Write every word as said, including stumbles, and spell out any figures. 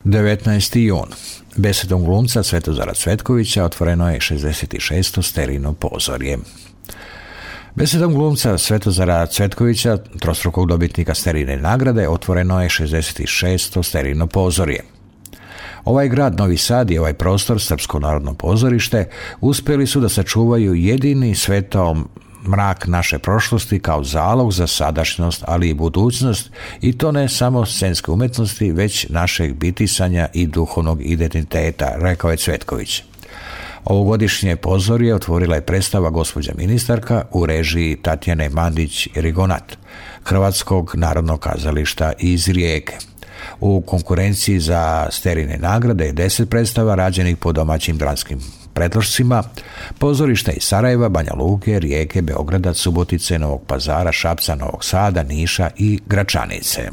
devetnaesti jun. Besedom glumca Svetozara Cvetkovića otvoreno je šezdeset šesto sterijno pozorje. Besedom glumca Svetozara Cvetkovića, trostrukog dobitnika sterijne nagrade, otvoreno je šezdeset šesto sterijno pozorje. Ovaj grad, Novi Sad, i ovaj prostor, Srpsko narodno pozorište, uspjeli su da sačuvaju jedini svetao mrak naše prošlosti kao zalog za sadašnjost, ali i budućnost, i to ne samo scenske umetnosti, već našeg bitisanja i duhovnog identiteta, rekao je Cvetković. Ovogodišnje pozorje otvorila je predstava Gospođa ministarka u režiji Tatjane Mandić-Rigonat, Hrvatskog narodnog kazališta iz Rijeke. U konkurenciji za sterijne nagrade je deset predstava rađenih po domaćim dramskim predlošcima, pozorišta iz Sarajeva, Banja Luke, Rijeke, Beograda, Subotice, Novog Pazara, Šapca, Novog Sada, Niša i Gračanice.